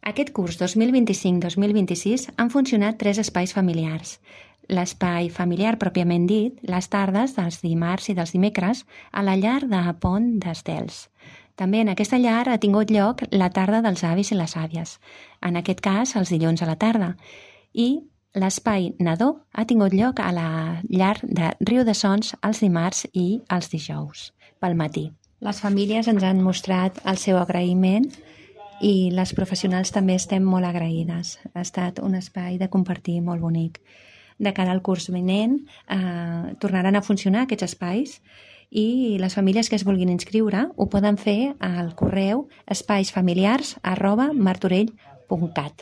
Aquest curs 2025-2026 han funcionat 3 espais familiars. L'espai familiar pròpiament dit, les tardes dels dimarts i dels dimecres, a la llar de Pont d'Estels. També en aquesta llar ha tingut lloc la tarda dels avis i les àvies, en aquest cas els dilluns a la tarda, i l'espai nadó ha tingut lloc a la llar de Riu de Sons els dimarts i els dijous, pel matí. Les famílies ens han mostrat el seu agraïment i les professionals també estem molt agraïdes. Ha estat un espai de compartir molt bonic. De cara al curs vinent tornaran a funcionar aquests espais i les famílies que es vulguin inscriure ho poden fer al correu espaisfamiliars@martorell.cat.